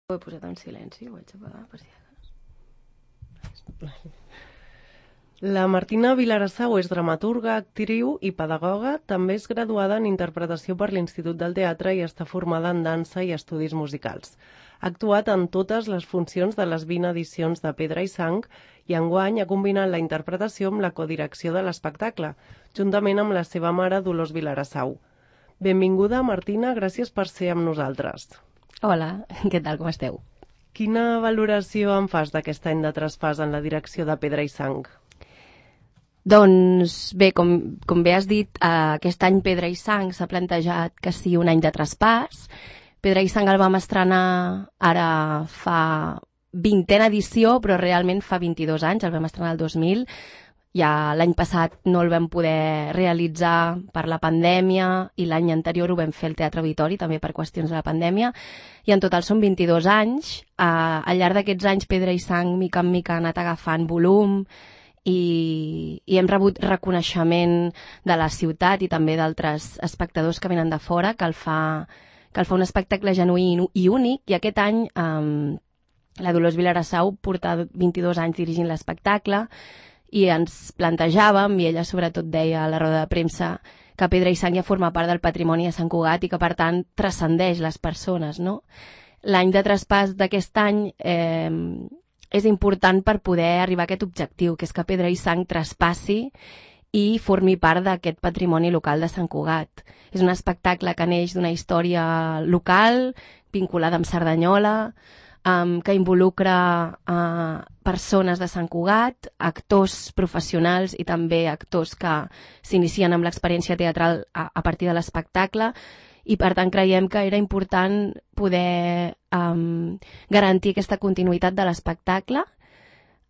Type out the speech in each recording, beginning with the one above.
Ho he posat en silenci, ho vaig apagar per si acaso. La Martina Vilarassau és dramaturga, actriu i pedagoga. També és graduada en interpretació per l'Institut del Teatre i està formada en dansa i estudis musicals. Ha actuat en totes les funcions de les 20 edicions de Pedra i Sang i enguany ha combinat la interpretació amb la codirecció de l'espectacle, juntament amb la seva mare Dolors Vilarassau. Benvinguda, Martina, gràcies per ser amb nosaltres. Hola, què tal, com esteu? Quina valoració en fas d'aquest any de traspàs en la direcció de Pedra i Sang? Doncs bé, com bé has dit, aquest any Pedra i Sang s'ha plantejat que sigui un any de traspàs. Pedra i Sang el vam estrenar ara fa 20a edició, però realment fa 22 anys, el vam estrenar el 2000. Ja l'any passat no el vam poder realitzar per la pandèmia i l'any anterior ho vam fer al Teatre Auditori, també per qüestions de la pandèmia, i en total són 22 anys. Al llarg d'aquests anys Pedra i Sang mica en mica ha anat agafant volum i hem rebut reconeixement de la ciutat i també d'altres espectadors que venen de fora, que el fa un espectacle genuí i únic, i aquest any la Dolors Vilarassau porta 22 anys dirigint l'espectacle i ens plantejàvem, i ella sobretot deia a la roda de premsa, que Pedra i Sang ja forma part del patrimoni de Sant Cugat i que per tant transcendeix les persones, no? L'any de traspàs d'aquest any és important per poder arribar a aquest objectiu, que és que Pedra i Sang traspassi i formi part d'aquest patrimoni local de Sant Cugat. És un espectacle que neix d'una història local, vinculada amb Cerdanyola, que involucra persones de Sant Cugat, actors professionals i també actors que s'inicien amb l'experiència teatral a partir de l'espectacle, i per tant creiem que era important poder garantir aquesta continuïtat de l'espectacle,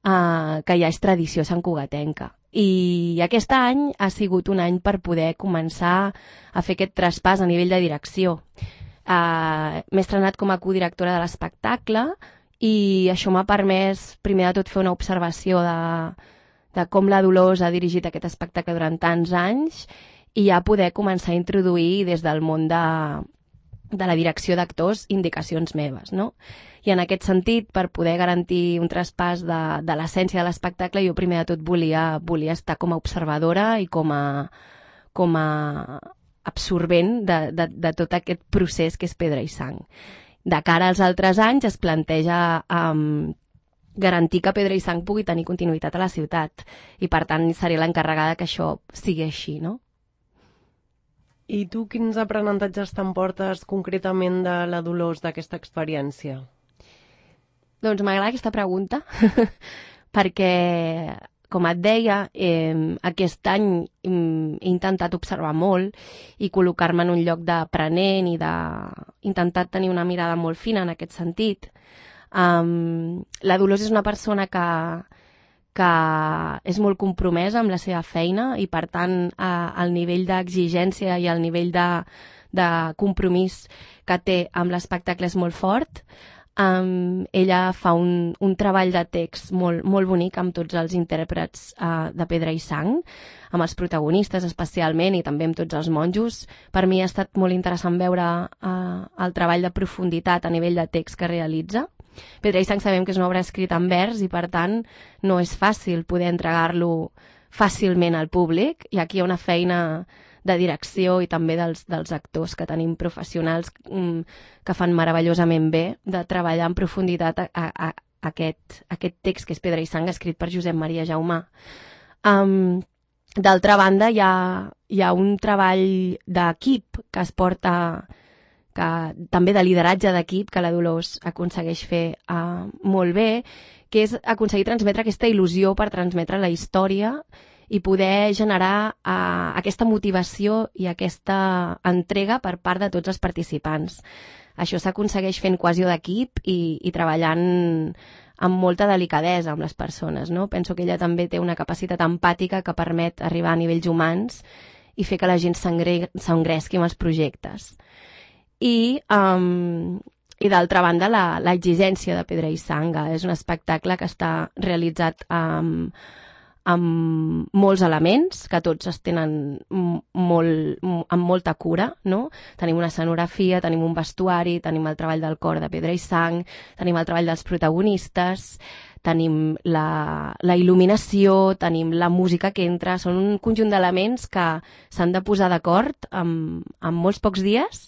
que ja és tradició santcugatenca. I aquest any ha sigut un any per poder començar a fer aquest traspàs a nivell de direcció. M'he estrenat com a codirectora de l'espectacle i això m'ha permès, primer de tot, fer una observació de com la Dolors ha dirigit aquest espectacle durant tants anys i ja poder començar a introduir des del món de la direcció d'actors indicacions meves, no? I en aquest sentit, per poder garantir un traspàs de l'essència de l'espectacle, jo primer de tot volia estar com a observadora i com a absorbent de tot aquest procés que és Pedra i Sang. De cara als altres anys es planteja garantir que Pedra i Sang pugui tenir continuïtat a la ciutat i per tant seré l'encarregada que això sigui així, no? I tu quins aprenentatges t'emportes concretament de la Dolors d'aquesta experiència? Doncs m'agrada aquesta pregunta perquè, com et deia, aquest any he intentat observar molt i col·locar-me en un lloc d'aprenent i intentat tenir una mirada molt fina en aquest sentit. La Dolors és una persona que és molt compromesa amb la seva feina i, per tant, el nivell d'exigència i el nivell de compromís que té amb l'espectacle és molt fort. Ella fa un treball de text molt, molt bonic amb tots els intèrprets de Pedra i Sang, amb els protagonistes especialment i també amb tots els monjos. Per mi ha estat molt interessant veure el treball de profunditat a nivell de text que realitza. Pedra i Sang sabem que és una obra escrita en vers i per tant no és fàcil poder entregar-lo fàcilment al públic, i aquí hi ha una feina de direcció i també dels actors que tenim professionals que fan meravellosament bé de treballar en profunditat aquest text que és Pedra i Sang, escrit per Josep Maria Jaumà. D'altra banda, hi ha un treball d'equip que es porta, també de lideratge d'equip, que la Dolors aconsegueix fer molt bé, que és aconseguir transmetre aquesta il·lusió per transmetre la història i poder generar aquesta motivació i aquesta entrega per part de tots els participants. Això s'aconsegueix fent cohesió d'equip i treballant amb molta delicadesa amb les persones, no? Penso que ella també té una capacitat empàtica que permet arribar a nivells humans i fer que la gent s'engresqui amb els projectes. I d'altra banda, l'exigència de Pedra i Sang. És un espectacle que està realitzat amb molts elements, que tots es tenen amb molta cura, no? Tenim una escenografia, tenim un vestuari, tenim el treball del cor de Pedra i Sang, tenim el treball dels protagonistes, tenim la il·luminació, tenim la música que entra, són un conjunt d'elements que s'han de posar d'acord en molts pocs dies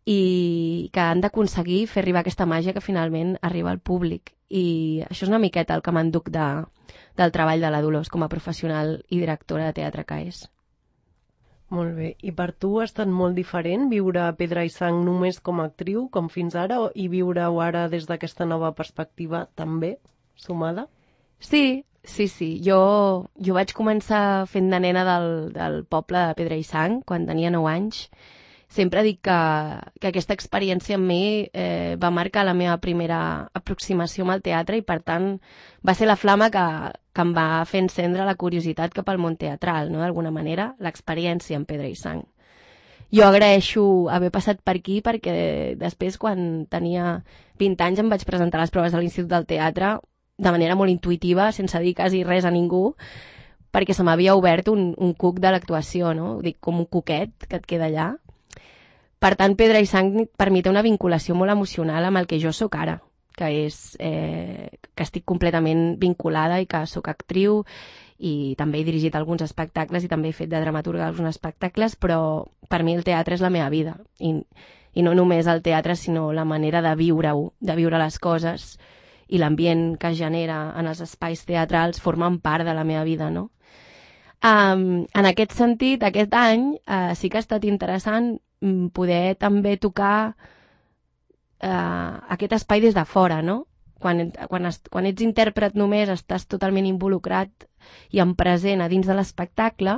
i que han d'aconseguir fer arribar aquesta màgia que finalment arriba al públic. I això és una miqueta el que m'enduc del treball de la Dolors com a professional i directora de teatre que és. Molt bé. I per tu ha estat molt diferent viure Pedra i Sang només com a actriu, com fins ara, i viure-ho ara des d'aquesta nova perspectiva també, sumada? Sí. Jo vaig començar fent de nena del poble de Pedra i Sang quan tenia 9 anys. Sempre dic que aquesta experiència amb mi va marcar la meva primera aproximació amb el teatre i, per tant, va ser la flama que em va fer encendre la curiositat cap al món teatral, no? D'alguna manera, l'experiència amb Pedra i Sang. Jo agraeixo haver passat per aquí perquè després, quan tenia 20 anys, em vaig presentar a les proves de l'Institut del Teatre de manera molt intuïtiva, sense dir quasi res a ningú, perquè se m'havia obert un cuc de l'actuació, no? Dic, com un cuquet que et queda allà. Per tant, Pedra i Sang per mi té una vinculació molt emocional amb el que jo sóc ara, que és que estic completament vinculada i que sóc actriu i també he dirigit alguns espectacles i també he fet de dramaturga alguns espectacles, però per mi el teatre és la meva vida i no només el teatre, sinó la manera de viure-ho, de viure les coses i l'ambient que es genera en els espais teatrals formen part de la meva vida, no? En aquest sentit, aquest any sí que ha estat interessant poder també tocar aquest espai des de fora, no? Quan ets intèrpret només estàs totalment involucrat i en present a dins de l'espectacle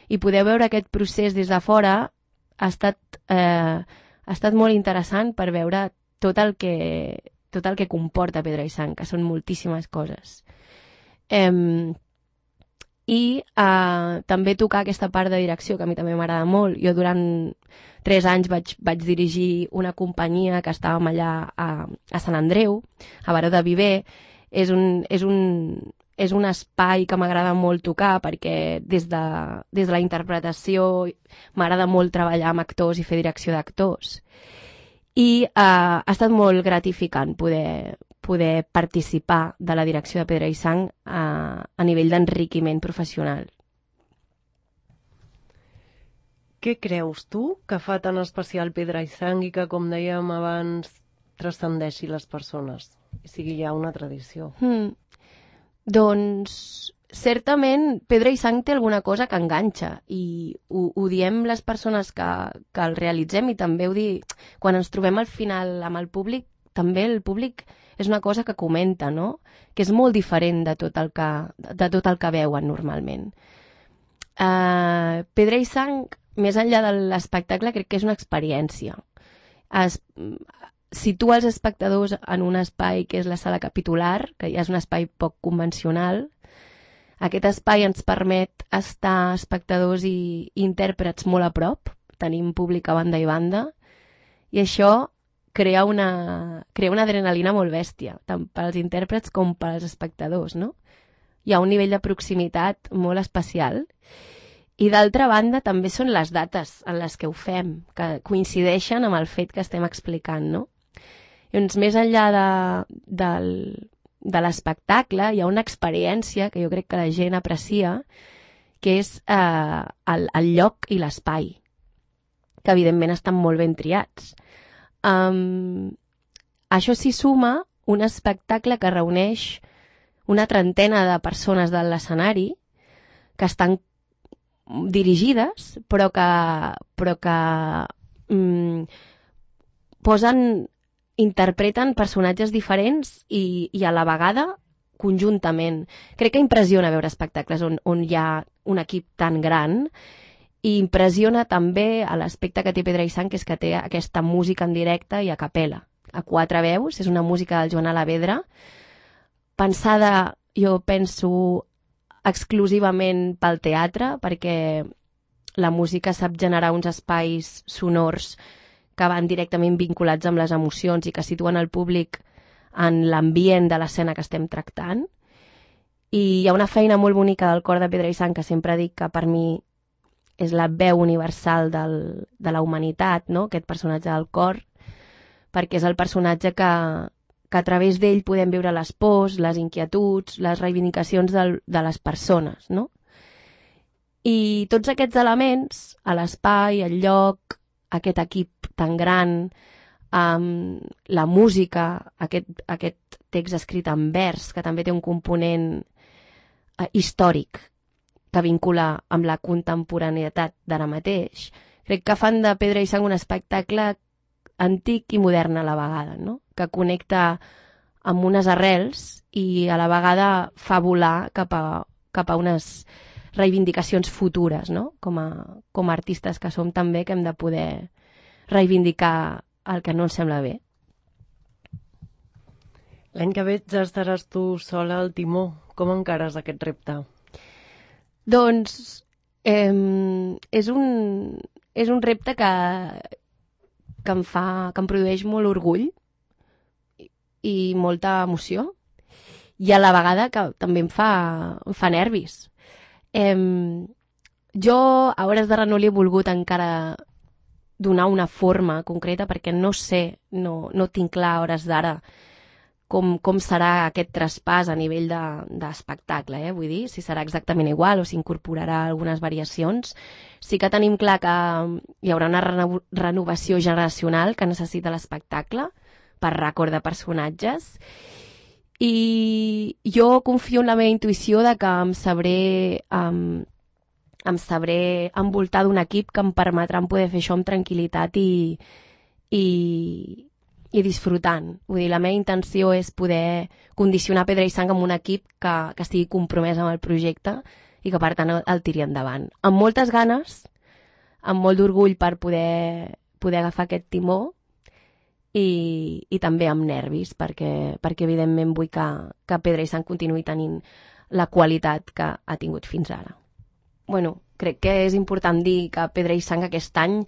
i poder veure aquest procés des de fora ha estat molt interessant per veure tot el que comporta Pedra i Sang, que són moltíssimes coses. I també tocar aquesta part de direcció que a mi també m'agrada molt. Jo durant 3 anys vaig dirigir una companyia que estàvem allà a Sant Andreu, a Baró de Viver. És un espai que m'agrada molt tocar perquè des de la interpretació m'agrada molt treballar amb actors i fer direcció d'actors. I ha estat molt gratificant poder participar de la direcció de Pedra i Sang a nivell d'enriquiment professional. Què creus tu que fa tan especial Pedra i Sang i que, com dèiem abans, transcendeixi les persones i sigui ja una tradició? Doncs, certament, Pedra i Sang té alguna cosa que enganxa i ho diem les persones que el realitzem i també ho dic quan ens trobem al final amb el públic, també el públic és una cosa que comenta, no? Que és molt diferent de tot el que veuen normalment. Pedra i Sang, més enllà de l'espectacle, crec que és una experiència. Situa els espectadors en un espai que és la sala capitular, que ja és un espai poc convencional. Aquest espai ens permet estar espectadors i intèrprets molt a prop, tenim públic a banda i banda, i això crea una adrenalina molt bèstia, tant pels intèrprets com pels espectadors, no? Hi ha un nivell de proximitat molt especial. I d'altra banda també són les dates en les que ho fem, que coincideixen amb el fet que estem explicant, no? Doncs més enllà de l'espectacle hi ha una experiència que jo crec que la gent aprecia, que és el lloc i l'espai, que evidentment estan molt ben triats. Això s'hi suma un espectacle que reuneix una trentena de persones de l'escenari que estan dirigides però que interpreten personatges diferents i a la vegada conjuntament. Crec que impressiona veure espectacles on hi ha un equip tan gran i impressiona també l'aspecte que té Pedra i Sang, que és que té aquesta música en directe i a capella, a 4 veus. És una música del Joan Alavedra, pensada, jo penso, exclusivament pel teatre, perquè la música sap generar uns espais sonors que van directament vinculats amb les emocions i que situen el públic en l'ambient de l'escena que estem tractant. I hi ha una feina molt bonica del cor de Pedra i Sang, que sempre dic que per mi és la veu universal de la humanitat, no? Aquest personatge del cor, perquè és el personatge que a través d'ell podem viure les pors, les inquietuds, les reivindicacions de les persones, no? I tots aquests elements, a l'espai, el lloc, aquest equip tan gran, la música, aquest text escrit en vers, que també té un component històric que vincula amb la contemporaneïtat d'ara mateix, crec que fan de Pedra i Sang un espectacle antic i modern a la vegada, no? Que connecta amb unes arrels i a la vegada fa volar cap a unes reivindicacions futures, no? Com a artistes que som també, que hem de poder reivindicar el que no ens sembla bé. L'any que ve ja estaràs tu sola al timó. Com encares aquest repte? Doncs és un repte que em produeix molt orgull i molta emoció, i a la vegada que també em fa nervis. Jo a Hores de no li he volgut encara donar una forma concreta, perquè no sé, no tinc clar a hores d'ara com serà aquest traspàs a nivell d'espectacle, vull dir, si serà exactament igual o s'incorporarà algunes variacions. Sí que tenim clar que hi haurà una renovació generacional que necessita l'espectacle per rècord de personatges, i jo confio en la meva intuïció de que em sabré envoltar d'un equip que em permetrà poder fer això amb tranquil·litat i disfrutant. Vull dir, la meva intenció és poder condicionar Pedra i Sang amb un equip que estigui compromès amb el projecte i que per tant el tiri endavant. Amb moltes ganes, amb molt d'orgull per poder agafar aquest timó, i també amb nervis, perquè evidentment vull que Pedra i Sang continuï tenint la qualitat que ha tingut fins ara. Bueno, crec que és important dir que Pedra i Sang aquest any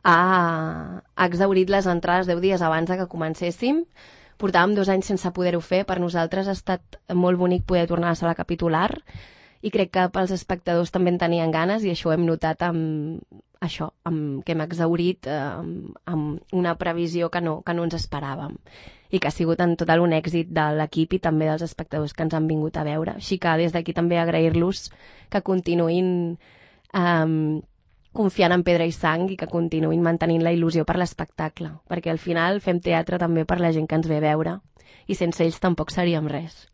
ha exhaurit les entrades 10 dies abans que comencéssim. Portàvem 2 anys sense poder-ho fer. Per nosaltres ha estat molt bonic poder tornar a la sala capitular, i crec que pels espectadors també en tenien ganes, i això ho hem notat que hem exhaurit amb una previsió que no ens esperàvem, i que ha sigut en total un èxit de l'equip i també dels espectadors que ens han vingut a veure. Així que des d'aquí també agrair-los que continuïn confiant en Pedra i Sang i que continuïn mantenint la il·lusió per l'espectacle, perquè al final fem teatre també per la gent que ens ve a veure, i sense ells tampoc seríem res.